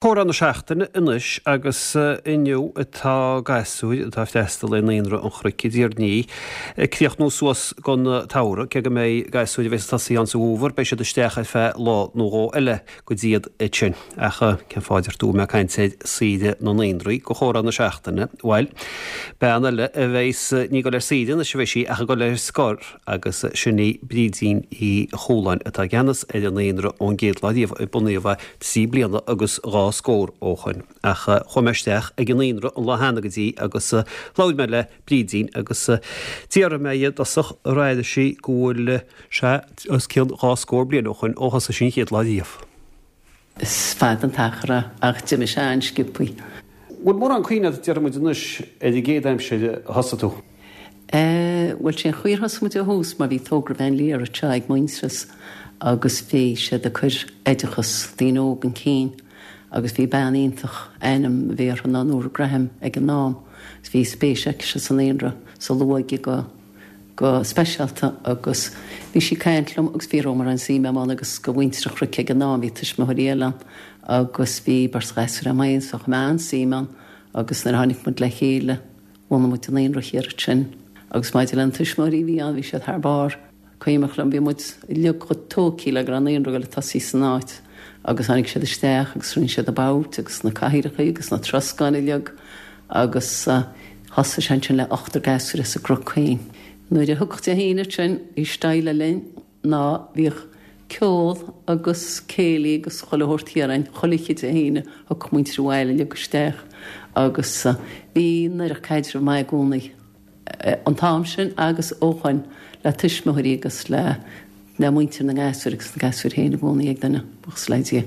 Comhrá na seachtaine anois agus inniu tá gasúir atá ag freastal ar Naíonra an Chnoic i dTír an Fhia ag críochnú suas don tsamhradh. Cé go mbeidh gasúir a bheas ag tosaí ann sa bhfómhar, beidh siad isteach ar feadh lá nó dhó eile go dtí iad sin. Ach cén fáth a deir tú go mbeadh caint ar saoire na naíonraí go chomhrá na seachtaine? Bhail, bean eile a bheas ní ag dul ar saoire anois a bheidh sí ach ag dul ar scor agus sin í Brídín Uí Chualáin atá i gceannas ar an naíonra ón gcéad lá riamh a bunaíodh é trí bliana agus dhá scór ó shoin. Ach chuaigh mé isteach ag an naíonra an lá cheana go dtí agus labhair mé le Brídín agus d'fhiafraigh mé dhi i dtosach ar airigh sí go bhfuil sé os cionn dhá scór bliain ó shoin ó thosaigh sí an chéad lá riamh. Is fada an t-achar é, ach d'imigh sé an-sciobthaí. Bhfuil mórán cuimhne agat, déarfaidh muid anois, ar an gcéad aimsir a thosaigh tú? Eh, bhuel, sé an chaoi ar thosaigh muid ó thús mar bhí togra Bhean Lir anseo ag Muintearas agus bhí siad ag cur oideachas daoine óg chun cinn agus bhí bean iontach, ainm a bhí uirthi ná Nóra Graham ag an am agus bhí spéis aicise sa naíonra, sa luath-óige go. go speisialta agus bhí sí ag caint liom agus bhí rabhamar an-suim agam ann agus go mhuintir an Chnoic ag an am, bhí tuismitheoirí eile ann agus bhí beirt ghasúr agam féin so chuir mé an-suim ann agus nuair a tháinig muid le chéile bhunaigh muid an naíonra thiar ansin agus maidir le na tuismitheoirí a bhí ann bhí siad thar barr. Cuimhneach liom bhí muid uilig chomh tógtha le go raibh naíonra ag dul ag tosaí san áit agus tháinig siad isteach agus rinne siad na boird agus na cathaoireacha agus na troscáin uilig agus thosaigh sé ansin le ochtar gasúr as an gCnoc féin. Nuair a thiocfadh Dé hAoine ansin bhí style linn ná bhíodh ceol agus céilí agus chuile shórt thiar ann chuile oíche Dé hAoine thiocfadh muintir an bhaile uilig isteach agus bhí an oiread caidreamh maith i gcónaí. an t-am sin agus ó shoin le tuismitheoirí agus le le muintir na ngasúr agus na gasúir féin i gcónaí ag duine, buíochas le Dia.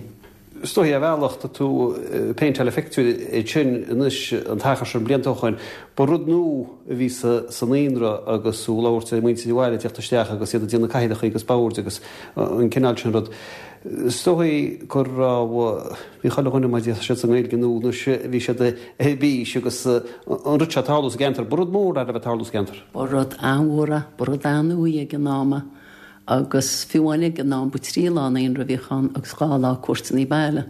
Is dóigh ar bhealach tá tú ag péinteáil an phictiúir ansin anois an t-achar sin blianta ó shoin. Ba rud nua a bhí sa sa naíonra agus tú ag labhairt ar muintir an bhaile ag teacht isteach agus iad ag déanamh cathaoireacha agus boird agus an cineál sin rud. Is dóigh go raibh, bhí chuile dhuine mar a déarfá sa nGaeilge nó anois bhí siad ar bís agus an rud seo ag tarlú sa gceantar. Ba rud mór é a bheith ag tarlú sa gceantar. Ba rud an-mhór é, ba rud an-nua ag an am é agus fiú amháin ag an am ba trí lá naíonra a bhíodh ann agus dhá lá cuairteanna baile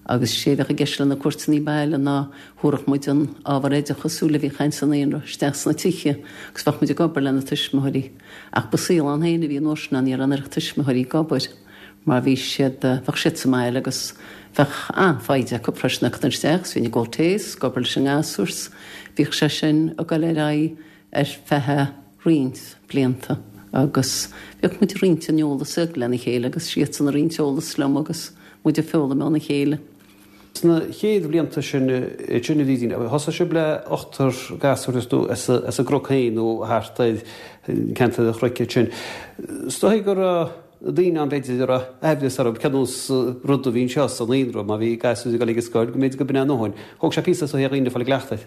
agus sé a bheadh i gceist le na cuairteanna baile ná thabharfadh muid an ábhar oideachasúil a bhíodh ann sa naíonra isteach sna tithe agus bheadh muid ag obair le na tuismitheoirí. Ach ba saol ann féin a bhí an uair sin ann, ní raibh an oiread tuismitheoirí ag obair mar bhí siad, bheadh siad sa mbaile agus bheadh an-fhoighde acu freisin acu isteach is bhínn ag ól tae is ag obair leis an ngasúr 's bhíodh sé sin ag dul ar aghaidh ar feadh roinnt blianta agus bhíodh muid ag roinnt an eolas lena chéile agus siadsan ag roinnt eolas liom agus muid ag foghlaim óna chéile. Sna chéad bhlianta sin, sin a Bhrídín, thosaigh sibh le ochtar gasúr is tú as an gCnoc féin nó thart ar ceantar an Chnoic ansin. Is dóigh go raibh daoine ann b'fhéidir a raibh aimhreas orthu cén nós rud a bhí anseo sa naíonra má bhí gasúir ag dul ag an scoil go mb'fhéidir go b'in é a ndóthain. Thóg sé píosa is dóigh ar dhaoine fáil i gcleachtadh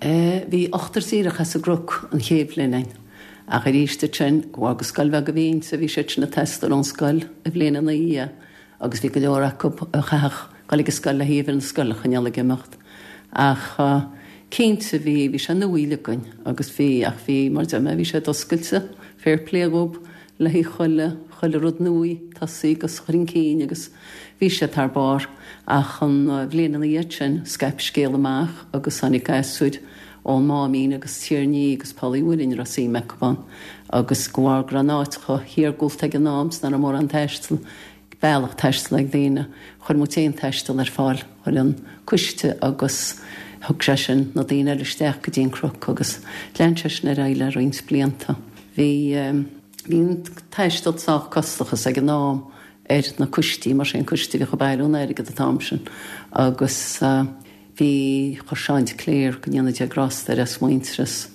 air. Bhí ochtar díreach as an gCnoc an chéad bhliain ann ach arís ansin, de bharr gur scoil bheag a bhí inti, bhí siad sin ag teastáil ón scoil an bhliain ina dhiaidh. agus bhí go leor acu a chaithfeadh dul ag an scoil le huimhir na scoile a choinneáil ag imeacht. Ach cinnte bhí, bhí sé nua uilig againn agus bhí, ach bhí, mar a deir mé, bhí sé oscailte, fair play dhób le haghaidh chuile, chuile rud nua tosaí agus chur chun cinn agus bhí siad thar barr. Ach an bhliain ina dhiaidh sin scaip scéal amach agus tháinig gasúir ón Máimín agus Tír an Fhia agus Poll Uí Mhuirinn a raibh suim acu ann agus de bharr go raibh an áit chomh hiargúlta ag an am 's nach raibh mórán taistil, bealach taistil ag daoine, chuir muid féin taisteal ar fáil, chuir an coiste agus thug sé sin na daoine eile isteach go dtí an Cnoc agus lean sé sin ar aghaidh le roinnt blianta. Bhí, bhí an taisteal sách costach is ag an am ar na coistí mar sé an coiste a bhíodh ag bailiú an airgid an t-am sin agus. Bhí, chuir Seán de Cléir, go ndéana Dia grásta air, as Muintearas,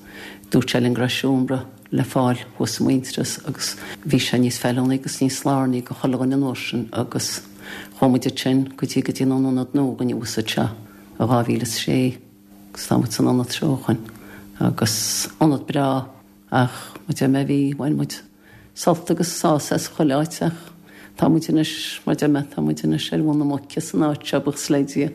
dúirt sé linn go raibh seomra le fáil thuas i Muintearas agus bhí sé níos feiliúnaí agus níos lárnaí do chuile dhuine an uair sin agus chuaigh muid ansin go dtí go dtí an ionad nua againne thuas anseo i 2006 agus tá muid san ionad seo ó shoin agus ionad breá ach mar a deir mé bhí, bhain muid. sult agus sásamh as chuile áit ach tá muid anois, mar a deir mé, tá muid anois ar mhuin na muice san áit seo, buíochas le Dia,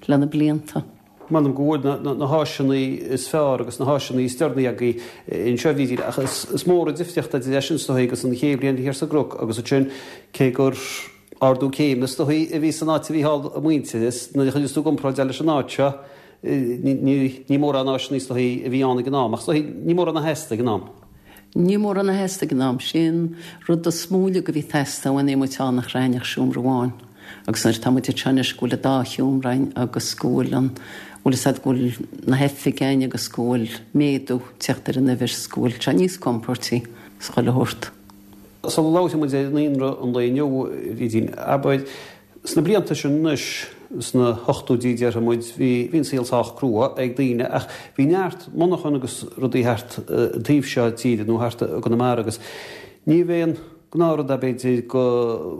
le na blianta. M'anam go bhfuil na háiseanna is fearr agus na háiseanna is deireanaí agaibh anseo, a Bhrídín, ach is mór an difríocht idir é sin is dóigh agus an chéad bhliain thiar sa gCnoc agus ansin cé gur. Ardú céime is dóichí a bhí san áit a bhí thall i Muintearas. Nuair a chuireas tú i gcomparáid é leis an áit seo, ní mórán áiseanna is dóichí a bhí ann ag an am, ach is dóichí ní mórán a theastaigh ag an am. Ní mórán a theastaigh ag an am. Sé an rud is mó uilig a bhí ag teastáil uainn bhí muid ann ach raibh ach seomra amháin agus nuair atá muid anseo anois go bhfuil an dá sheomra againn agus go bhfuil an, bhfuil fhios a'd go bhfuil na hoifigí againn agus go bhfuil méadú ag teacht ar an uimhir 's go bhfuil sé níos compóirtí is chuile shórt. Sula labhróidh muid ar naíonra an lae inniu, a Bhrídín, abair, sna blianta sin anois, sna hochtóidí déarfaidh muid, bhí, bhí an saol sách crua ag daoine ach bhí neart monarchan agus rudaí thart an taobh seo tíre nó thart i gConamara agus ní b'é an gnáthrud é b'fhéidir go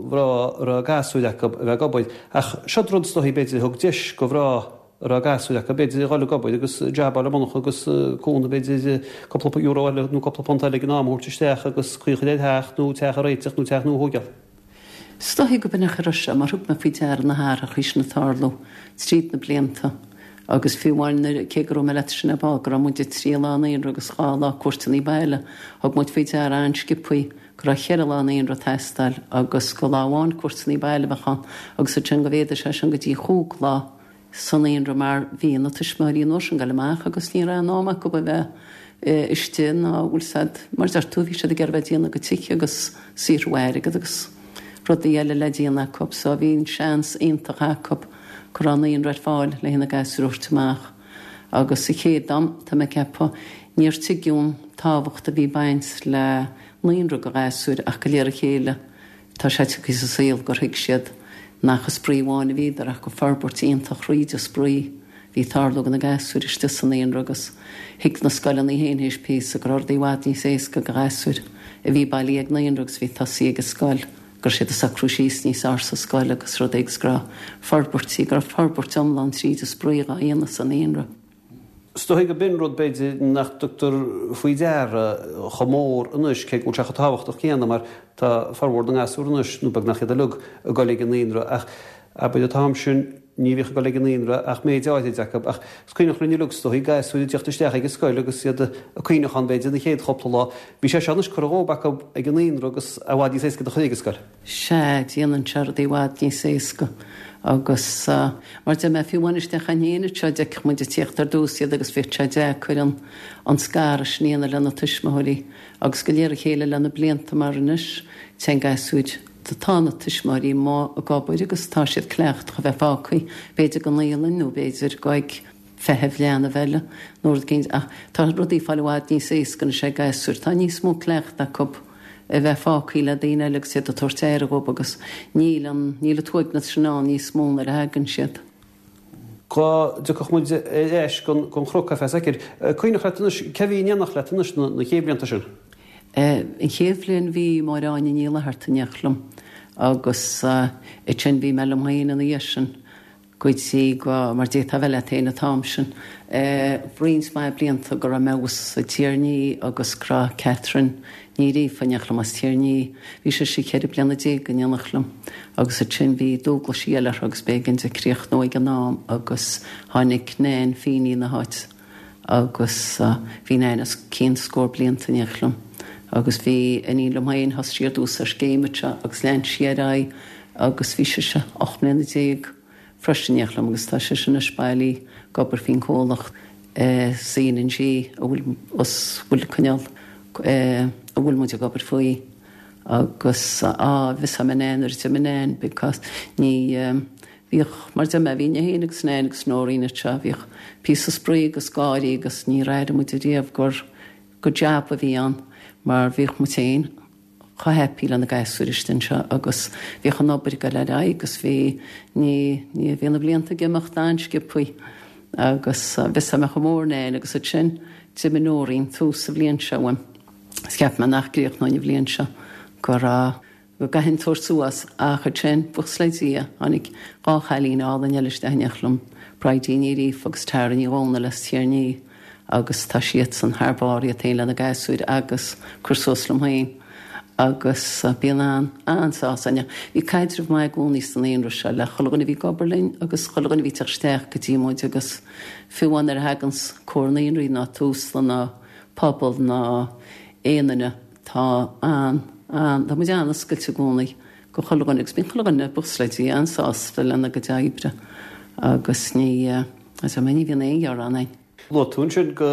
mhná a raibh gasúir acu a bheith ag obair ach seod rud is dóichí b'fhéidir a thug deis go mhná a raibh gasúir acu, b'fhéidir, a dhul ag obair agus jab a fháil i monarcha agus cúnamh, b'fhéidir, cúpla euro eile nó cúpla punt eile ag an am a thabhairt isteach agus caoi a chur ar theach nó teach a réiteach nó teach nua a thóigeáil. Is dóichí go b'in a chuir sé, mar thug mé faoi deara na hathrachaí sin ag tarlú tríd na blianta agus fiú amháin nuair, cé go raibh mé leat sin ar ball, go raibh muid ag trí lá naíonra agus dhá lá cuairteanna baile, thug muid faoi deara an-sciobthaí go raibh cheithre lá naíonra ag teastáil agus go lá amháin cuairteanna baile a bheadh ann agus ansin go mhéadaigh sé sin go dtí chúig lá sa naíonra mar bhí na tuismitheoirí an uair sin ag goil amach agus ní raibh an am acu a bheith istigh ná bhfuil 's a'd mar a deir tú bhí siad ag iarraidh bheith ag déanamh a gcuid tithe agus saothrú airgead agus rudaí eile le déanamh acu so bhí an seans iontach acu go raibh naíonra ar fáil le na gasúir a thabhairt amach agus sa chéad am tá mé ag ceapadh níor tuigeadh an tábhacht a bhí ag baint le naíonra go ghasúir ach go léir a chéile Tá sé tagtha sa saol gur thuig siad nach ag spraoi amháin a bhíodar ach gur forbairt iontach thríd an spraoi a bhí ag tarlú go na gasúir istigh sa naíonra agus thuig na scoileanna féin théis píosa go raibh rudaí i bhfad níos éasca go ghasúir a bhí bailithe ag naíonra agus a bhí tosaithe ag an scoil go raibh siad ag socrú síos níos fearr sa scoil agus rudaí agus go raibh forbairtí, go raibh forbairt iomlán tríd an spraoi dhá dhéanamh sa naíonra. Is dóigh go b'in rud, b'fhéidir, nach dtugtar faoi deara chomh mór anois, cé go bhfuil sé chomh tábhachtach céanna, mar tá formhór na ngasúr anois, nó beagnach iad uilig, ag dul ag an naíonra. Ach abair an t-am sin, ní bhíodh ag dul ag an naíonra ach méid áirid acu. Ach is cuimhneach linn uilig, is dóigh, gasúir ag teacht isteach ag an scoil agus iad ag caoineachán, b'fhéidir, na chéad chúpla lá. Bhí sé seo anois curtha dhóibh acu ag an naíonra agus i bhfad níos éasca iad a chur ag an scoil. Sea, déanann sé rudaí i bhfad níos éasca agus mar deir mé, fiú amháin isteach againn féin anseo, d'fheicfeadh muid ag tíocht ar dtús iad agus bhíodh sé deacair an an scaradh sin a dhéanamh lena tuismitheoirí agus go léir a chéile le na blianta mar anois téann gasúir, tá na tuismitheoirí amuigh ag obair agus tá siad cleachtach a bheith fágtha b'fhéidir go naíolann nó b'fhéidir go ag feitheamh leanbh eile nó rud éicint ach tá rudaí ag fáil i bhfad níos éasca anois ag gasúir. Tá níos mó cleachta acu a bheith fágtha le daoine eile agus iad ag tabhairt aire dhóibh agus níl an, níl an t-uaigneas sin ann níos mó nuair a thagann siad. Go dtiocfadh muid ar ais gon chnoc ar feadh soicind. Cuimhneach leat anois, cé bhí in éineacht leat anois na chéad bhlianta sin? An chéad bhliain bhí Máire Áine Ní Fhlatharta in éineacht liom agus ansin bhí mé liom féin ina dhiaidh sin. go dtí go, mar d'fhéadfá a bheith leat féin an t-am sin, roinnt mhaith blianta go raibh mé thuas i Tír an Fhia agus go raibh Catherine Ní Ghríofa in éineacht liom as Tír an Fhia. Bhí sise 14 bliana in éineacht liom agus ansin bhí dualgaisí eile uirthi agus b'éigean di críochnú ag an am agus tháinig Nan Feeney ina háit agus bhí Nan os cionn scór blianta in éineacht liom agus bhí iníon liom féin, thosaigh sí ar dtús ar scéim anseo agus lean sí ar aghaidh agus bhí sise 18 mbliana freisin in éineacht liom agus tá sise anois bailí ag obair faoin comhlacht C&G a bhfuil us bhfuil coinneáil a bhfuil muid ag obair faoi agus á mhiosá mé Nan nuair a d'imigh Nan because ní bhíodh mar deir mé bhínn féin agus Nan agus Noreen anseo bhíodh píosa spraoi agus gáirí agus níor airigh muid ariamh gur gur jab a bhí ann mar bhíodh muid féin chomh happy le na gasúir istigh anseo agus bhíodh an obair ag dul ar aghaidh agus bhí, ní, ní, bhí na blianta ag imeacht an-sciobthaí agus mhiosá mé chomh mór Nan agus ansin d'imigh Noreen tús sa bhliain seo uaim is cheap mé nach gcríochnóinn an bhliain seo go raibh, go gcaithfinn tabhairt suas ach ansin, buíochas le Dia, tháinig dhá chailín álainn eile isteach in éineacht liom, Bridie Ní Ghríofa agus Tara Ní Dhomhnaill as Tír an Fhia. agus tá siadsan thar barr, iad féin lena gasúir agus cur suas liom féin agus bíonn an, an-sásamh ann. Bhí caidreamh maith i gcónaí sa naíonra seo le chuile dhuine a bhí ag obair linn agus chuile dhuine a bhí ag teacht isteach go dtí muid agus fiú amháin nuair a thaganns Comhar Naíonraí ná Tusla ná Pobal ná aon duine tá an, an, tá muid an-oscailte i gcónaí. Go chuile dhuine agus bíonn chuile dhuine, buíochas le Dia, an-sásta lena gcuid oibre agus ní, ní bhíonn aon ghearán ann. Luaigh tú ansin go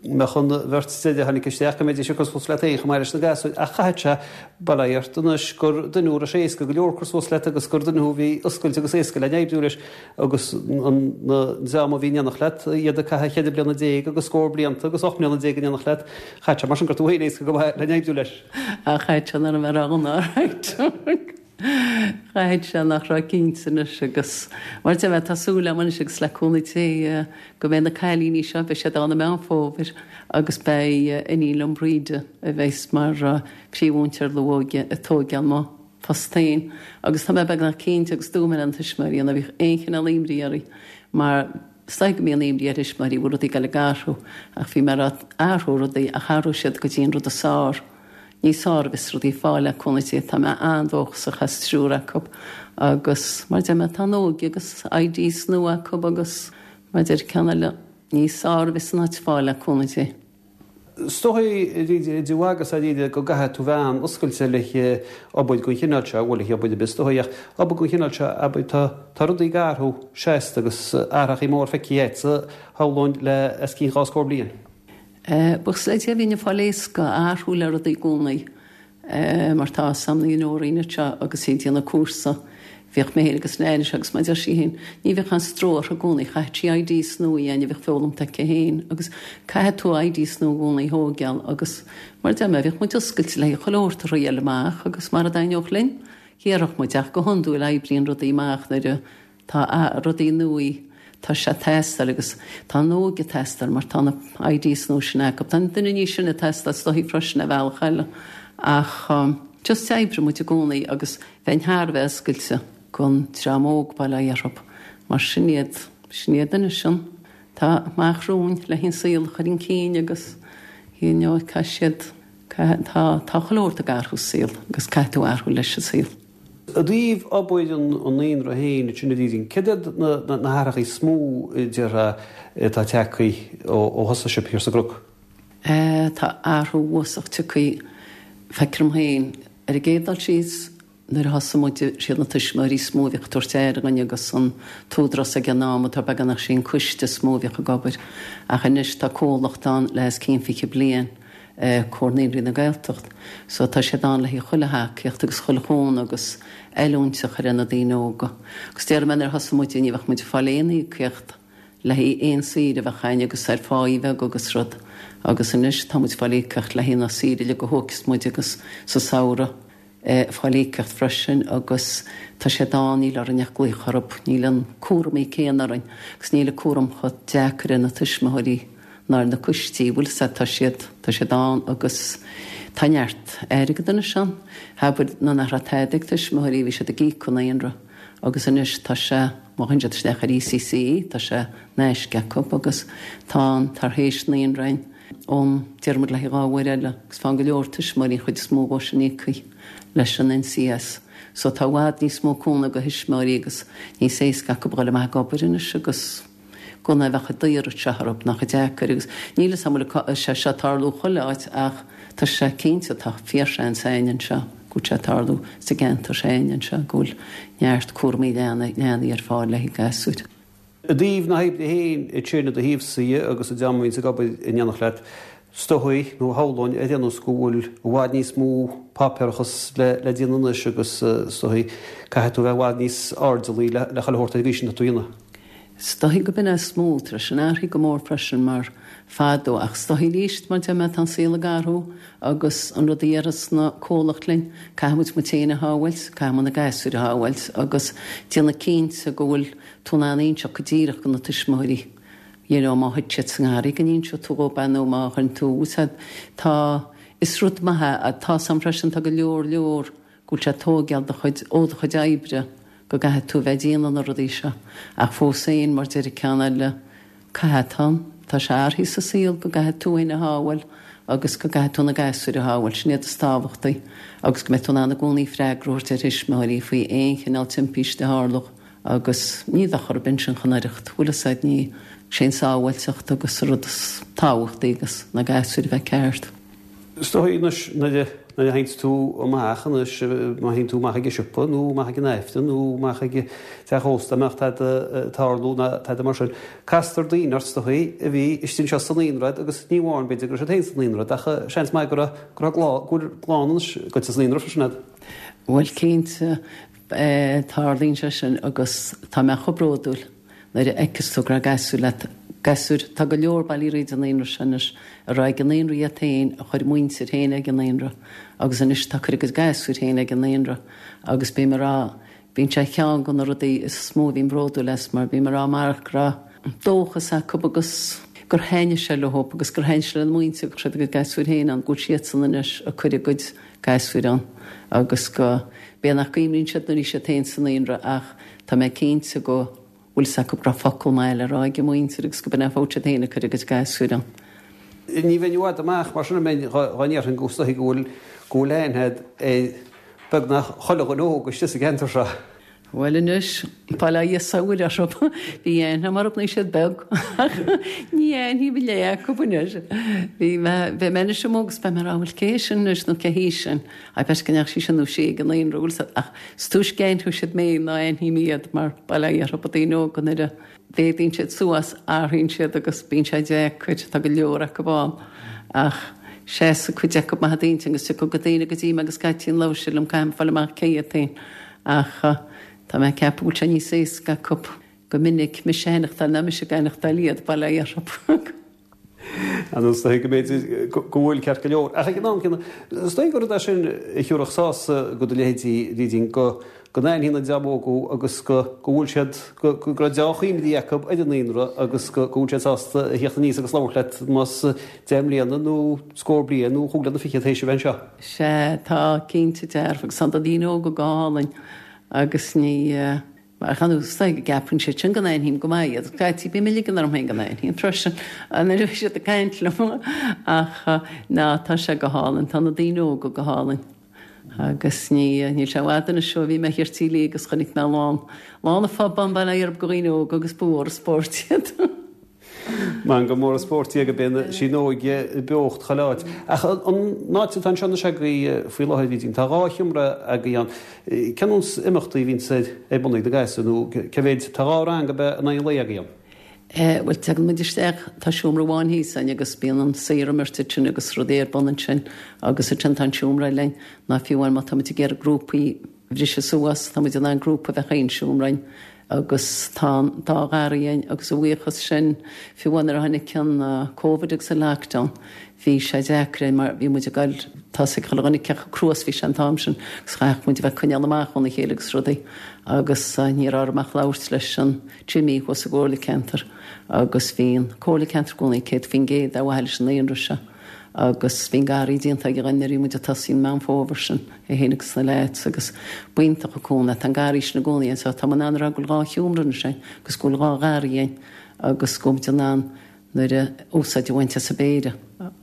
mbeadh an bheirt deiridh a tháinig isteach, go mbeidís ag cur suas leat féin chomh maith leis na gasúir, ach chaithfeadh sé, bail ó Dhia ort anois, gur duine thú a raibh sé éasca go leor cur suas leat agus gur duine thú a bhí oscailte agus éasca le n-oibriú leis agus an dream a bhí in éineacht leat, iad ag caitheamh cheithre bliana déag agus scór blianta agus 18 mbliana in éineacht leat, chaithfeadh sé mar sin gur tú féin éasca go maith le n-oibriú leis. Ach chaithfeadh sé nach raibh mé roghnach, Chaithfeadh sé nach raibh cinnte anois agus mar deir mé tá súil agam anois agus le cúnamh Dé go mbeidh na cailíní seo, beidh siad ann i Meán Fómhair agus beidh iníon liom Bríde a bheas mar phríomh-mhúinteoir luath-óige ag tóigeáil mo phost féin agus tá mé beagnach cinnte agus dúirt mé le na tuismitheoirí ná bíodh aon chineál imní oraibh mar Is dóigh go mbíonn imní ar thuismitheoirí go bhfuil rudaí ag dul ag athrú ach bhí mé ag rá athróidh rudaí ach athróidh siad go dtí an rud is fearr. Níos fearr a bheas rudaí ag fáil le cúnamh Dé. Tá mé an-dóchasach as triúr acu agus mar a deir mé tá an óige agus ideas nua acu agus mar a deir ceann eile níos fearr a bheas an áit ag fáil le cúnamh Dé. Is dóigh, idir mhaith agus dáiríre, go gcaithfidh tú bheith an-oscailte le obair den chineál seo, bhuel, le hobair ar bith is dóigh, ach obair den chineál seo, abair, tá, tá rudaí ag athrú seasta agus athrachaí mór feicthe agatsa, shamhlóinn, le os cionn dhá scór bliain. Buíochas le Dia, bhínn ag fáil éasca athrú le rudaí i gcónaí. Mar tá 'fhios a'm na junióirí anseo agus iad ag déanamh cúrsa, bhíodh mé féin agus Nain anseo agus mar a deir sí féin, ní bhíodh aon stró uirthi i gcónaí, chaithfeadh sí ideas nua a dhéanamh, bhíodh foghlamtha aici féin agus caithfidh tú ideas nua i gcónaí a thóigeáil agus mar a deir mé, bhíodh muid oscailte le haghaidh chuile shórt a thriail amach agus mara dtaitneodh linn, dhéarfadh muid ach go hiondúil oibríonn rudaí amach nuair a Tá rudaí nua, tá sé ag teastáil agus tá an óige ag teastáil mar tá na ideas nua sin acu. Tá an duine níos sine ag teastáil is dóichí freisin ar bhealach eile ach just oibreoidh muid i gcónaí agus bheinn thar a bheith oscailte don dream óg bail ó Dhia orthu mar sin iad, sin iad anois an, tá amach romhainn le an saol a chur chun cinn agus you know caithfidh siad, caithfidh, tá, tá chuile shórt ag athrú sa saol agus caithfidh tú athrú leis an saol. I dtaobh obair an naíonra féin ansin a Bhrídín, céard iad na hathrachaí is mó a déarfá atá tagtha ó thosaigh sibh thiar sa gCnoc? Tá athrú uafásach tagtha, feictear dom féin. Ar an gcéad dul síos, nuair a thosaigh muid, siad na tuismitheoirí is mó a bhíodh ag tabhairt aire dhúinn agus an t-údarás ag an am, atá beagnach sé an coiste is mó a bhíodh ag obair. Ach anois tá comhlacht ann le os cionn 20 bliain. Comhar Naíonraí na Gaeltacht. So tá siad ann le haghaidh chuile thacaíocht agus chuile chúnamh agus oiliúint a chur ar na daoine óga. Agus déarfaidh mé nuair a thosaigh muid ní bheadh muid ag fáil aon íocaíocht le haghaidh aon saoire a bheadh againn agus ar pháí bheag agus rud. Agus anois tá muid ag fáil íocaíocht le haghaidh na saoire uilig a thóigfeas muid agus sa samhradh. fáil íocaíocht freisin agus tá siad ann, níl orainn ach glaoch orthu, níl an cúramaí céanna orainn agus níl an cúram chomh deacair ar na tuismitheoirí ná ar na coistí, bhfuil 'fhios a'd, tá siad, tá siad ann agus tá neart airgead anois ann, abair nuair nach raibh tada ag tuismitheoirí bhí siad ag íoc an naíonra agus anois tá sé, má théann siad isteach ar ECCE tá sé in aisce acu agus tá an tar éis naíonra ann. ón déarfaidh muid le haghaidh 2 uair eile agus faigheann go leor tuismitheoirí an chuid is mó dhó sin íoctha leis an NCS so tá i bhfad níos mó cúnamh do thuismitheoirí agus níos éasca acu dhul amach ag obair anois agus gan a bheith ag daoradh seo orthu nach deacair agus níl 'fhios a'm an bhfuil sé seo ag tarlú chuile áit ach tá sé cinnte tá fíorsheans a'inn anseo go bhfuil sé ag tarlú sa gceantar s'againne anseo go bhfuil neart cúramaí leanaí ar fáil le haghaidh gasúir. I dtaobh na hoibre féin, ansin i do thaobhsa agus an dream a bhíonns ag obair in éineacht leat, is dóigh, nó shamhlóinn ar aon nós go bhfuil i bhfad níos mó páipéarachas le déanamh anois agus is dóigh caithfidh tú a bheith i bhfad níos airdeallaí le chuile shórt ar an gcaoi sin atá tú a dhéanamh. Is dóigh go b'in é is mó, tar éis an athraithe go mór freisin mar fadó ach is dóigh arís mar deir mé tá an saol ag athrú agus an rud a dhéarfas na comhlacht linn, caithfidh muid muid féin a shábháilt, caithfidh muid na gasúir a shábháilt agus déanamh cinnte go bhfuil tú in ann inseacht go díreach do na tuismitheoirí you know má thit siad sa ngarraí go n-inseoidh tú dhób é nó má chuireann tú úsáid tá is rud maith é tá 's a'm freisin tá go leor leor go bhfuil sé ag tóigeáil do chuid ó do chuid oibre go gcaithfidh tú a bheith ag déanamh na rudaí seo ach fós féin mar deir an ceann eile caithfidh tá tá sé athraithe sa saol go gcaithfidh tú féin a shábháil agus go gcaithfidh tú na gasúir a shábháil sin iad is tábhachtaí agus go mbeidh tú in ann i gcónaí freagra a thabhairt ar thuismitheoirí faoi aon chineál timpiste a tharlódh Agus ní bheadh orthu ansin chun oidhreacht, bhfuil 'fhios a'd, ní, sé an sábháilteacht agus an rud is tábhachtaí agus na gasúir a bheith ceart. Is dóigh anois nuair a. nuair a théanns tú amach anois, má théann tú amach ag an siopa nó amach ag an Aifreann nó amach ag teach ósta, dá mbeadh tada ag tarlú ná tada mar sin, castar daoine ort is dóichí a bhí istigh anseo sa naíonra agus ní amháin b'fhéidir go raibh siad féin sa naíonra ach seans maith go raibh go raibh go bhfuil clann anois agat sa naíonra freisin agat. Bhuel cinnte, tarlaíonn sé sin agus tá mé chomh bródúil nuair a fheiceas tú go raibh gasúir leat, gasúir, tá go leor bailithe thríd an naíonra seo anois a raibh ag an naíonra iad féin, a chuir a muintir féin ag an naíonra agus anois tá ag cur a gcuid gasúir féin ag an naíonra agus bím ag rá, Bíonn sé ceann de na rudaí is mó a bhím bródúil as mar bím ag rá amárach go raibh dóchas acu agus gur thaitnigh sé leo agus gur thaitnigh sé lena muintir go raibh siad a gcuid gasúir féin ann, go bhfuil siadsan anois ag cur a gcuid gasúir ann agus go, b'fhéidir nach gcuimhníonn siad nuair a bhí siad féin sa naíonra ach tá mé cinnte go bhfuil 's acu go raibh focal maith le rá ag a muintir agus go b'in é an fáth siad féin ag cur a gcuid gasúir ann. Ní bheinn i bhfad amach mar sin an mbeinn dhá ndéarfainn go is dóichí go bhfuil go bhfuil aithne a'd ar beagnach chuile dhuine óg istigh sa gceantar seo. Bhuel anois, bail ó Dhia 's a Mhuire orthu, bhí aithne a'm orthu nuair a bhí siad beag ach ní aithním a leath acu anois. Bhí mé, beidh mé anois amuigh agus beidh mé ag rá bhuel cé hé sin anois nó cé hí sin? I bet go ndeachaigh sí sin nó sí ag an naíonra, bhfuil 's a'd, ach is túisce a aithneoidh siad mé ná aithním iad mar bail ó Dhia orthu na daoine óga nuair a mhéadaíonn siad suas athraíonn siad agus bíonn sé deacair, tá go leor acu ann ach seasfaidh cuid acu maith i d'intinn agus tiocfaidh daoine go dtí mé agus scaití an labhróidh siad liom caithfidh mé fáil amach cé hiad féin ach tá mé ag ceapadh go bhfuil sé níos éasca acu go minic mise a aithneachtáil ná mise ag aithneachtáil iad, bail ó Dhia orthu. Is dóigh go mb'fhéidir go bhfuil ceart go leor. Ach ag an am céanna, is dóigh gur rud é sin a thiúrfadh sásamh do do leithéidí, Brídín, go n-aithníonn an dream óg thú agus go bhfuil siad, go raibh deá-chuimhní acu ar an naíonra agus go bhfuil siad sásta a theacht aníos agus labhairt leat más 10 mbliana nó scór bliain nó chúig bliana fichead théis a bheith anseo. Sea, tá, cinnte dearfa, agus tá na daoine óga go hálainn agus ní. Mar chan is dóigh go gceapann siad sin go n-aithním go maith iad. Scaití bím ag ligean orm féin go n-aithním freisin nuair a bhí siad ag caint liom. Ach ná, tá sé go hálainn. Tá na daoine óga go hálainn. Agus ní, níl sé i bhfad anois ó bhí mé thiar Tír Liag agus chonaic mé lán, lán an phub ann, bail ó Dhia orthu, de dhaoine óga agus ba mhór an spórt iad. Meangadh mór an spórt í ag bíonn sí an óige i beocht chuile áit. Ach an áit atá anseo anois agaibh faoi láthair, a Bhrídín, tá 2 sheomra agaibh ann. Cén nós imeachtaí a bhíonns ar bun ag na gasúir nó cé mhéid, tá 2 rang ab ea in aghaidh an lae agaibh ann? Bhuel, tagann muid isteach, tá seomra amháin thíos againn agus bíonn an saorimirt ansin agus rudaí ar bun ansin agus ansin tá an seomra eile againn ná fiú amháin má tá muid ag iarraidh grúpaí a bhriseadh suas, tá muid in ann grúpa a bheith chaon seomra againn agus tá an dá gharraí againn agus a bhuíochas sin, fiú amháin nuair a tháinig an Covid agus an lockdown, bhí sé deacair againn mar bhí muid ag goil, tá 'fhios ag chuile dhuine cé chomh crua is bhí sé an t-am sin agus chaithfeadh muid a bheith ag coinneáil amach óna chéile agus rudaí agus ní raibh orm ach labhairt leis an Jimmy thuas sa gcomhairle ceantair agus bhí an comhairle ceantair i gcónaí 100% ar mhaithe leis an naíonra seo. Agus bhí an garraí déanta ag a dhuine nuair a bhí muid ag tosaí an Meán Fómhair sin, é féin agus na leaids agus b'iontach an cúnamh é. Tá an garraí sin i gcónaí ann so tá mé in ann a rá go bhfuil 2 sheomra anois againn agus go bhfuil 2 gharraí againn agus go bhfuil muid in ann nuair a úsáid a bhaint as an bpéire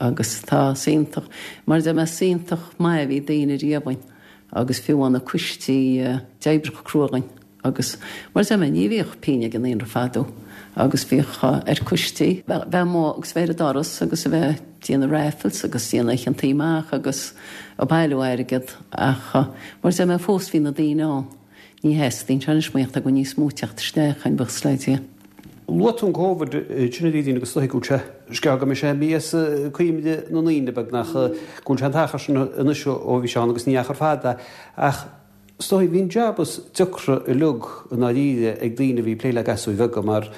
agus tá is iontach mar a deir mé is iontach maith a bhí daoine riamh againn agus fiú amháin na coistí d'oibrigh chomh crua againn. Agus, mar a deir mé, ní bhíodh pingin ag an naíonra fadó agus bhíodh ar coistí bheith amuigh agus bheith ar an doras agus a bheith ag déanamh raffles agus déanamh oícheantaí amach agus ag bailiú airgead ach, mar a deir mé, fós bhí na daoine ann. Ní theastaíonn sé anois mar tá go níos mó teacht isteach ann, buíochas le Dia. Luaigh tú an Covid ansin a Bhrídín agus is dóigh go bhfuil sé, scéal go mbeidh sé imithe as cuimhne na ndaoine beagnach, go bhfuil sé an t-achar sin anois ó bhí sé ann agus ní achar fada ach, Is dóigh, bhí an jab is deacra uilig i ndáiríre ag daoine a bhí ag plé le gasúir bheaga mar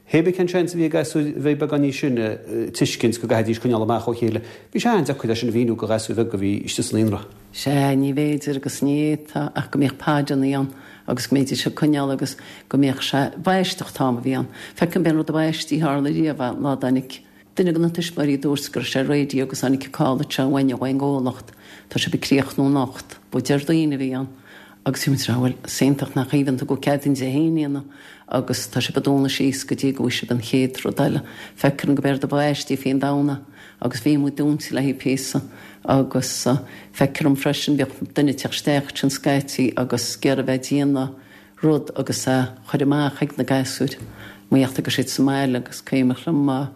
hé bith cén seans a bhí ag gasúir a bhí beagán níos sine tuiscint go gcaithfidís coinneáil amach ó chéile, bhí sé an-deacair é sin a mhíniú do ghasúir bheaga a bhí istigh sa naíonra. Sea, ní bhféidir agus ní fhéadfá ach go mbíodh podannaí ann agus go mbídís ag coinneáil agus go mbíodh sé, b'aisteach an t-am a bhí ann. Feicim b'é an rud ab aistí a tharla riamh an lá a dtáinig Duine de na tuismitheoirí a dúirt go raibh sé ar raidió agus tháinig an call anseo uainne ón gcomhlacht, tá sibh ag críochnú anocht. Ba Déardaoin a bhí ann agus bhí muid ag rá bhuel, is iontach nach aoibhinn tú go cead an Dé hAoine inniu agus tá sibh ag dúnadh síos go dtí go bhfaighidh sibh an chéad rud eile. Feictear dom go b'é rud ab aistí faoin domhan é agus bhí muid dúnta le haghaidh píosa agus feictear dom freisin bhíodh duine ag teacht isteach ansin scaití agus ag iarraidh bheith ag déanamh rud agus é a chur amach ag na gasúir mar gheall go raibh siad sa mbaile agus cuimhneach liom.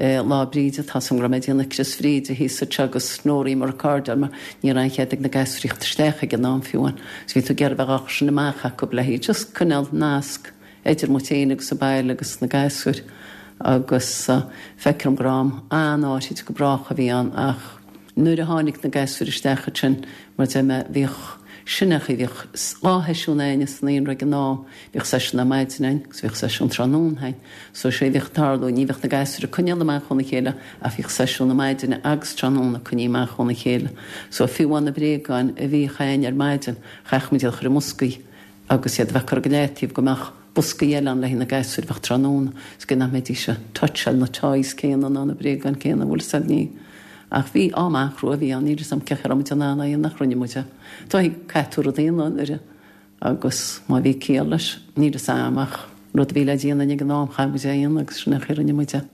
Lá Bríde, tá 's a'm go raibh mé ag déanamh Crios Bhríde thíos anseo agus Nóraí mo recordáil mar ní raibh aon chead ag na gasúir theacht isteach ag an am fiú amháin. So bhí tú ag iarraidh bheith dhá chur sin amach acu le haghaidh just coinneáil nasc idir muid féin agus an baile agus na gasúir agus feictear dom go raibh am an-áirid go brách a bhí ann ach nuair a tháinig na gasúir isteach ansin mar deir mé bhíodh sin é an chaoi bhíodh 2 sheisiún a'inne sa naíonra ag an am bhíodh seisiún ar maidin a'inn agus bhíodh seisiún tráthnóna a'inn So sé a bhíodh ag tarlú, ní bheadh na gasúir ag coinneáil amach óna chéile ach bhíodh seisiún na maidine agus tráthnóna coinnithe amach óna chéile. So fiú amháin na bréagáin a bhíodh a'inn ar maidin, chaithfeadh muid iad a chur i mboscaí agus iad a bheith curtha go leataobh go mbeadh boscaí eile ann le haghaidh na gasúir a bheadh tráthnóna so go nach mbeidís ag toucháil na toys céanna ná na bréagáin céanna, bhfuil 'fhios a'd, ní. Ach bhí am an-chrua a bhí ann, níl 'fhios a'm cén chaoi a raibh muid in ann é a dhéanamh nach rinne muid é. Caithfidh tú rud a dhéanamh nuair a. Agus má bhí ciall leis, níl 'fhios a'm, ach rud a bhí le déanamh ag an am, chaith muid é a dhéanamh agus sin é an chaoi a rinne muid é.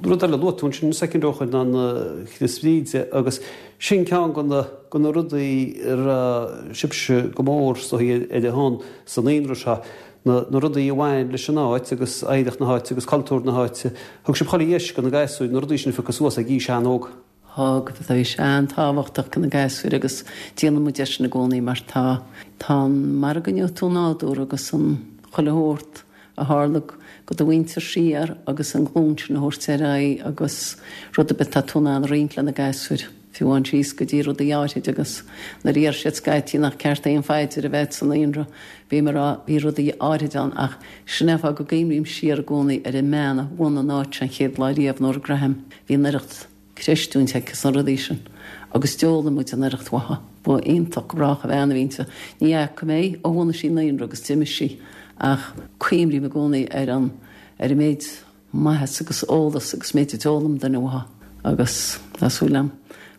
Rud eile, luaigh tú ansin soicind ó shoin ná an Chrios Bhríde agus sin ceann de na de na rudaí a raibh sibhse go mór is dóigh ar a shon sa naíonra seo, na na rudaí a bhain leis an áit agus oidhreacht na háite agus cultúr na háite. Thug sibh chuile dheis do na gasúir na rudaí sin a phiocadh suas ag aois an-óg. Thug, bhí sé an-tábhachtach do na gasúir agus déanann muid é sin i gcónaí mar tá, tá an, mar a gcoinneoidh tú nádúr agus an chuile shórt a tharla go do mhuintir siar agus an glúin sin a thabhairt ar aghaidh agus rud ar bith atá tú in ann a roinnt le na gasúir, fiú amháin síos go dtí rudaí áithrid agus nuair a deir siad scaití nach ceart aon phaidir a bheith sa naíonra, bím ag rá bhí rudaí áithrid ann ach sin é an fáth go gcuimhním siar i gcónaí ar an mbean a bhunaigh an áit seo an chéad lá riamh, Nóra Graham. Bhí an oireacht creistiúint aici sna rudaí sin agus d'fhoghlaim muid an oireacht uaithi. Ba iontach go brách an bhean a bhí inti. Ní fhaca mé í ó bhunaigh sí naíonra agus d'imigh sí ach cuimrím i gcónaí ar an ar an méid maitheas agus eolas agus méid a d'fhoghlaim duine uaithi agus tá súil agam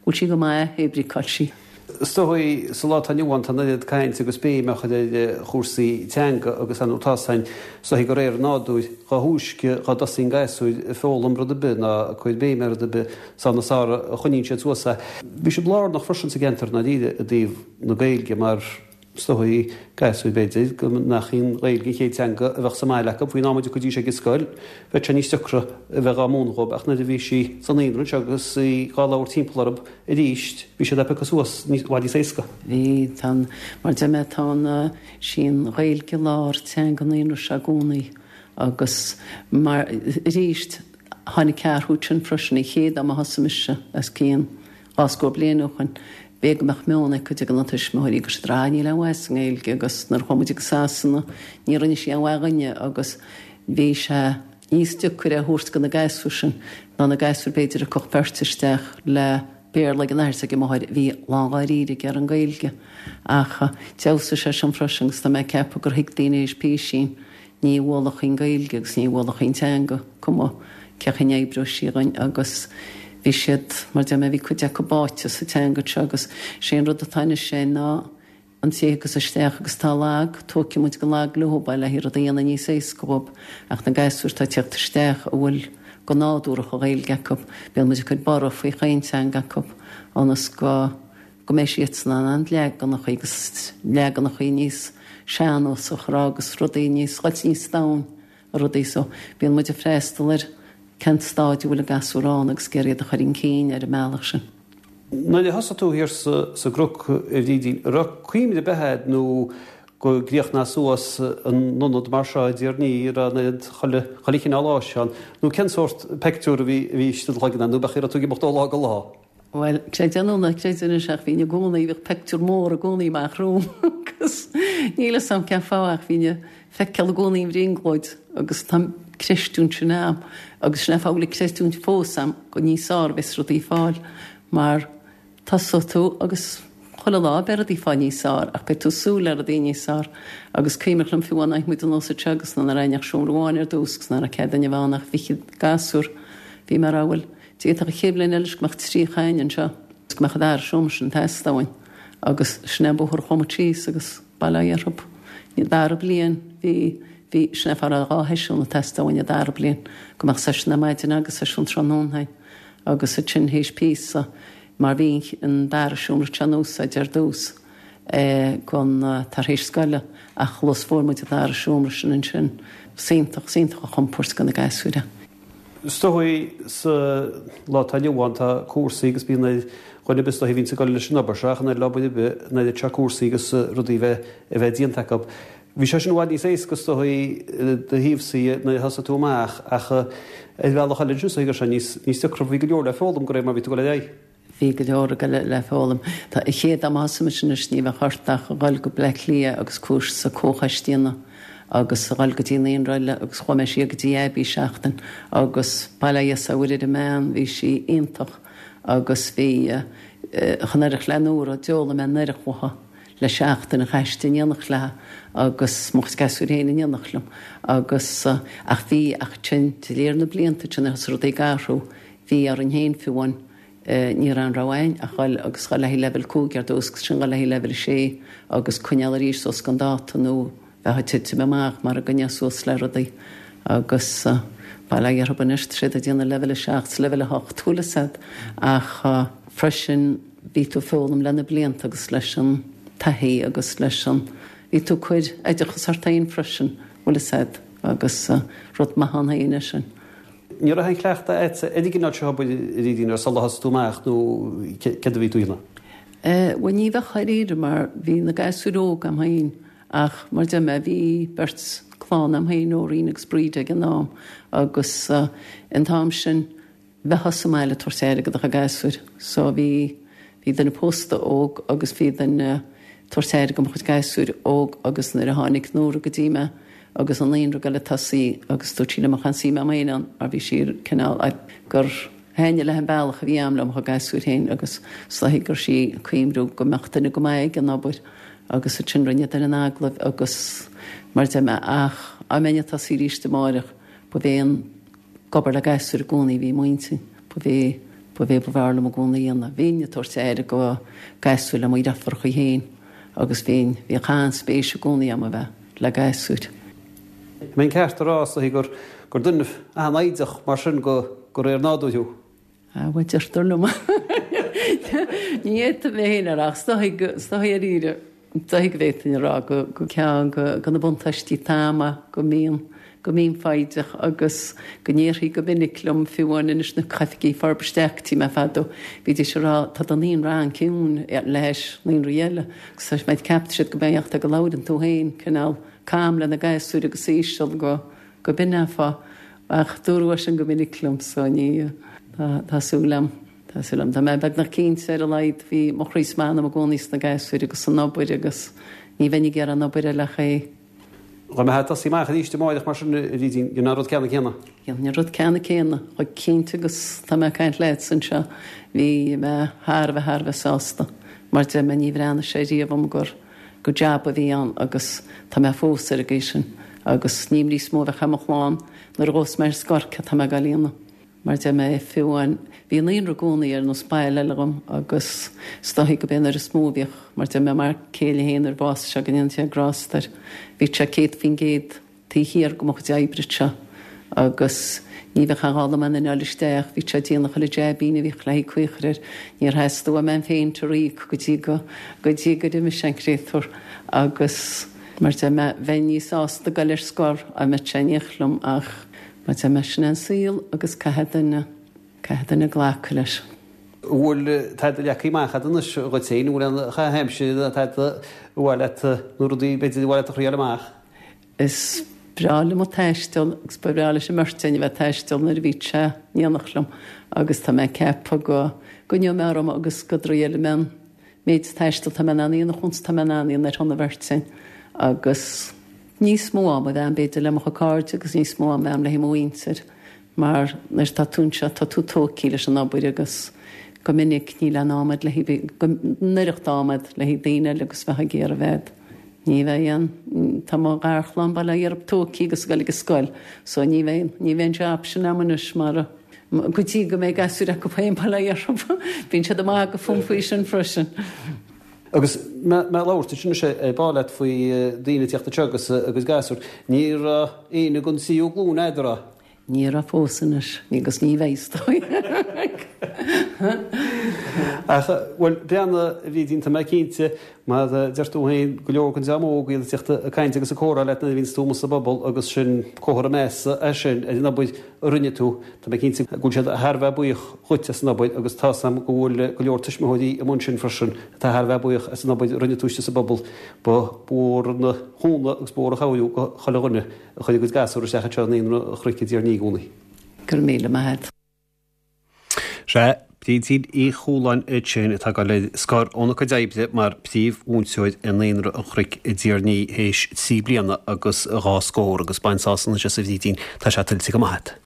go bhfuil sí go maith hé brí cá bhfuil sí. Is dóigh, sa lá atá inniu ann, tá an oiread cainte agus béim á chur ar chúrsaí teanga agus ar ndóigh tá san, is dóigh, de réir an nádúir, dá thúisce dhá dtosaíonn gasúir ag foghlaim rud ar bith ná ag cur béim ar rud ar bith, is ann is fearr a choinníonn siad suas é. Bhí sibh lárnach freisin sa gceantar i ndáiríre i dtaobh na Gaeilge mar, Is dóigh, gasúir b'fhéidir, go nach í an Ghaeilge an chéad teanga a bheadh sa mbaile acu, faoin am a dtiocfaidís ag an scoil, bheadh sé níos deacra a bheith dhá múineadh dhóibh, ach nuair a bhí sí sa naíonra anseo agus í dhá labhairt timpeall orthu arís, bhí siad á piocadh suas i bhfad níos éasca. Bhí, tá an, mar deir mé, tá an, sí an Ghaeilge lár teanga an naíonra seo i gcónaí agus mar, arís, tháinig athrú ansin freisin, an chéad am a thosaigh mise, os cionn, 20 bliain ó shoin, b'fhéidir go mbeadh meon ag cuid de na tuismitheoirí go siad rá níl aon mhaith sa nGaeilge agus nuair a chuaigh muid go Sasana ní rinne sí aon mhaith dhuinne agus bhí sé níos deacair é a thabhairt do na gasúir sin ná na gasúir b'fhéidir a tugadh beirt isteach le Béarla ag an athair is ag an máthair a bhí lán dháiríre ag iarraidh an Ghaeilge ach d'fheabhsaigh sé sin freisin agus tá mé ag ceapadh gur thuig daoine théis písín Ní bhualfadh an Ghaeilge agus ní bhualfadh an teanga, cuma cén chaoi a n-oibreodh sí dhuinn agus bhí siad, mar deir mé, bhí cuid acu báite sa teanga seo agus sé an rud atá anois é ná an té a thiocfas isteach agus atá lag, tógfaidh muid go lag leo é le haghaidh rud a dhéanamh níos éasca dhóibh ach na gasúir atá ag tíocht isteach a bhfuil go nádúrach an Ghaeilge acu, bíonn muid ag cur borradh faoi chaon teanga acu ionas go. go mbeidh siadsan in ann leaganachaí agus leaganachaí níos sean-nósach a rá agus rudaí níos, dhul níos domhain ar rudaí so bíonn muid ag freastal ar cén stáid a bhfuil an gasúr ann agus ag iarraidh iad a chur chun cinn ar an mbealach sin. Nuair a thosaigh tú thiar sa gCnoc, a Bhrídín, an raibh cuimhne ar bith a'd nó go gcríochnódh suas an ionad mar seo i dTír an Fhia, a raibh an oiread chuile, chuile chineál áise ann, nó cén sórt peictiúr a bhí, a bhí istigh i do chloigeann a'd, nó b'é an chaoi a raibh tú ag imeacht ó lá go lá? Bhuel, creid é nó ná creid anois ach bhínn i gcónaí, bhíodh peictiúr mór i gcónaí amach romham agus níl 'fhios a'm cén fáth ach bhínn ag feiceáil i gcónaí an bhrionglóid agus tá an creistiúint sin a'm agus sin é an fáth go bhfuil an creistiúint fós a'm go níos fearr a bheas rudaí ag fáil mar tosóidh tú agus chuile lá beidh rudaí ag fáil níos fearr ach beidh tú ag súil le rudaí níos fearr agus cuimhneach liom fiú amháin muid anuas anseo agus nach raibh ach seomra amháin ar dtús agus nach raibh cead duine a bheith ann ach fichead gasúr bhí mé ag rá bhuel D'fhéadfadh an chéad bhliain eile go mbeadh 30 againn anseo agus go mbeadh an dara seomra sin ag teastáil uainn agus sin é an bóthar a chuaigh muid síos agus bail ó Dhia orthu. An dara bliain bhí, bhí, sin é an fáth a raibh 2 sheisiún ag teastáil uainn an dara bliain, go mbeadh seisiún ar maidin agus seisiún tráthnóna againn agus ansin théis píosa mar bhí an dara seomra seo in úsáid ar dtús don tar éis scoile ach luas fuair muid an dara seomra sin ansin. Is iontach, is iontach an chompúirt do na gasúir é. Is dóigh sa lá atá inniu ann tá cúrsaí agus bíonn ar dhuine ar bith is dóigh a bhíonns ag dul leis an obair seo ach an oiread le obair ar bith an oiread seo cúrsaí agus rudaí a bheith a bheith déanta acu. Bhí sé sin i bhfad níos éasca is dóigh do thaobhsa nuair a thosaigh tú amach ach ar bhealach eile ansin is dóigh go raibh sé níos níos deacra bhí go leor le foghlaim de réir mar a bhí tú ag dul ar aghaidh. Bhí go leor ag dul le foghlaim. Tá an chéad am a thosaigh mise anois ní bheadh ort ach a dhul go Bleá Cliath agus cúrsa comhchoiste a dhéanamh agus a dhul go dtí naíonra eile agus chuaigh mé siar go dtí Abbey seachtain agus bail ó Dhia 's ar Mhuire ar an mbean, bhí sí iontach agus bhí chan oirfeadh le Nóra, d'fhoghlaim mé an oiread uaithi le seachtain a chaith istigh in éineacht léi agus mo chuid gasúir féin in éineacht liom agus ach bhí ach ansin de réir na blianta ansin thosaigh rudaí ag athrú bhí orainn féin fiú amháin Ní raibh aon rogha againn ach dhul agus dhul le haghaidh leibhéal 5 ar dtús agus ansin dhul le haghaidh leibhéal 6 agus coinneáil arís suas don dáta nó bheifeá ag titim amach mara gcoinneofá suas le rudaí agus bail ó Dhia orthu anois tá siad ag déanamh leibhéal 7 's leibhéal 8 bhfuil fhios a'd ach freisin bhí tú ag foghlaim le na blianta agus leis an taithí agus leis an bhí tú ag cur oideachas ort féin freisin bhfuil fhios a'd agus rud maith ann féin é sin. Ní raibh aon chleachtadh a'dsa ar an gcineál seo obair a Bhrídín ar sular thosaigh tú amach nó céard a bhí tú a dhéanamh? Bhuel ní bheadh dháiríre mar bhí na gasúir óg a'm féin ach mar deir mé bhí beirt clann a'm féin, Nóirín agus Bríd ag an am agus an t-am sin bheifeá sa mbaile ag tabhairt aire do do chuid gasúir so bhí bhí duine pósta óg agus bhí duine tabhairt aire do mo chuid gasúir óg agus nuair a tháinig Nóra go dtí mé agus an naíonra ag goil ag tosaí agus dúirt sí liom an suífeadh mé féin ann mar bhí sí cineál gur thaitnigh léi an bealach a bhí a'm le mo chuid gasúir féin agus is dóichí go raibh sí ag cuimhniú go mbeadh duine go maith ag an obair agus ansin rinne duine an agallamh agus mar deir mé ach dá mbeinn ag tosaí arís amáireach ba bhé an ag obair le gasúir i gcónaí a bhí i m'intinn, ba bhé, ba bhé ba bhfearr liom i gcónaí a dhéanamh. Bhínn ag tabhairt aire go gasúir le mo dheirfiúracha féin agus bhínn, bhíodh an-spéis i gcónaí agam a bheith le gasúir. An mbeinn ceart a rá, is dóichí, gur, gur duine an-fhoighdeach mar sin go, de réir nádúir thú? Ah, bhuel, deirtear liom. Ní fhéadfainn mé féin a rá ach is dóichí go, is dóichí dáiríre, is dóichí go bhféadfainn a rá go, go ceann go, go na buntáistí atá a'm go mbíonn, go mbím foighdeach agus go ndéarfaí go minic liom fiú amháin anois na hoifigigh forbartha isteach go dtí mé fadó, bhídís ag rá tá do naíonra an-ciúin le hais naíonraí eile agus tá mé ceapann siad go mbeadh go labhrann tú féin cineál calm le na gasúir agus íseal go, go b'in é an fáth. Ach dúradh é sin go minic liom so ní, tá súil a'm, tá súil a'm. Tá mé beagnach cinnte ar a laghad, bhí mo chroí 's m'anam i gcónaí sna gasúir agus san obair agus ní bheinn ag iarraidh aon obair eile ach é. Dá mbeifeá ag tosaí amach arís amáireach mar sin, a Bhrídín, dhéanfá an rud ceannann céanna? Dhéanfainn an rud ceannann céanna, chomh cinnte agus tá mé ag caint leatsa anseo. Bhí mé thar a bheith, thar a bheith sásta. Mar deir mé, ní bhreathnaigh sé riamh dhom gur. gur jab a bhí ann agus tá mé fós ar an gcaoi sin agus níl níos mó a bheadh ar mo chlann nuair a ghabhfas mé ar scor céard tá mé ag dul a dhéanamh. Mar deir mé, fiú amháin, bhí an naíonra i gcónaí ar nós baile eile dhom agus is dóichí go b'é an uair is mó a bhíodh, mar deir mé, m'fhear céile féin nuair a bhásaigh sé go ndéana Dia grásta air, bhí sé 100% taobh thiar de mo chuid oibre anseo agus ní bheadh aon ghá dom aon duine a fháil isteach, bhí sé ag déanamh chuile jaibín a bhíodh le haghaidh caochar air, níor theastaigh uaim aon phéint a ríoc go dtí go, go dtí gur imigh sé an créatúr agus mar deir mé, bheinn níos sásta dul ar scor dá mbeadh sé in éineacht liom ach mar deir mé, sin é an saol agus caithfidh duine, caithfidh duine glacadh leis. An bhfuil tada leagtha amach agat anois dhuit féin, an bhfuil aon chaitheamh aimsire, tada ar mhaith leat nó rudaí b'fhéidir ar mhaith leat a thriáil amach? Is breá liom ag taisteal agus ba bhreá leis an mbeirt againn a bheith ag taisteal nuair a bhí sé in éineacht liom agus tá mé ag ceapadh go gcoinneoidh mé orm agus go dtriailfidh mé an méid taistil atá mé in ann a dhéanamh chúns atá mé in ann a dhéanamh ar shon an bheirt againn agus níos mó am a bheith agam b'fhéidir le mo chuid cairde agus níos mó am a bheith agam le mo mhuintir mar nuair atá tú anseo tá tú tógtha leis an obair agus go minic níl aon am agat le haghaidh an oireacht am agat le haghaidh daoine eile agus bheith ag iarraidh bheith Ní bheidh aon, tá mo gharchlann bail ó Dhia orthu tógtha agus ag dul ag an scoil so ní bheidh, ní bheidh an job sin agam anois mar, go dtí go mbeidh gasúir acu féin bail ó Dhia orthu. Bíonn siad ag magadh fúm faoi sin freisin. Agus mé ag labhairt ansin anois ar ball leat faoi daoine ag tíocht anseo agus a gcuid gasúr, ní raibh éinne den tríú glúin a'd, an raibh? Ní raibh fós anois, agus ní bheidh is dóigh. Ach, bhuel, breathnaigh, a Bhrídín, tá mé cinnte. Mar a deir tú féin, go leor den dream óg iad ag teacht ag caint agus ag comhrá leat nuair a bhíonns tú amuigh sa bpobal agus sin comhartha measa é sin ar an obair a rinne tú. Tá mé cinnte go bhfuil siad thar a bheith buíoch dhuit as an obair agus tá's a'm go bhfuil go leor tuismitheoirí amuigh ansin freisin atá thar a bheith buíoch as an obair a rinne tú istigh sa bpobal. Ba mhór an chúnamh agus ba mhór an chabhair do chuile dhuine a chuir a gcuid gasúr isteach anseo i Naíonra an Chnoic i dTír an Fhia i gcónaí. Go raibh míle maith agat. Sea, Brídín Uí Chualáin ansin atá ag dul ar scor óna cuid oibre mar phríomh-mhúinteoir i Naíonra an Chnoic i dTír an Fhia théis trí bliana agus dhá scór agus bain sásamh anois as a Bhrídín, tá sé tuillte go maith agat.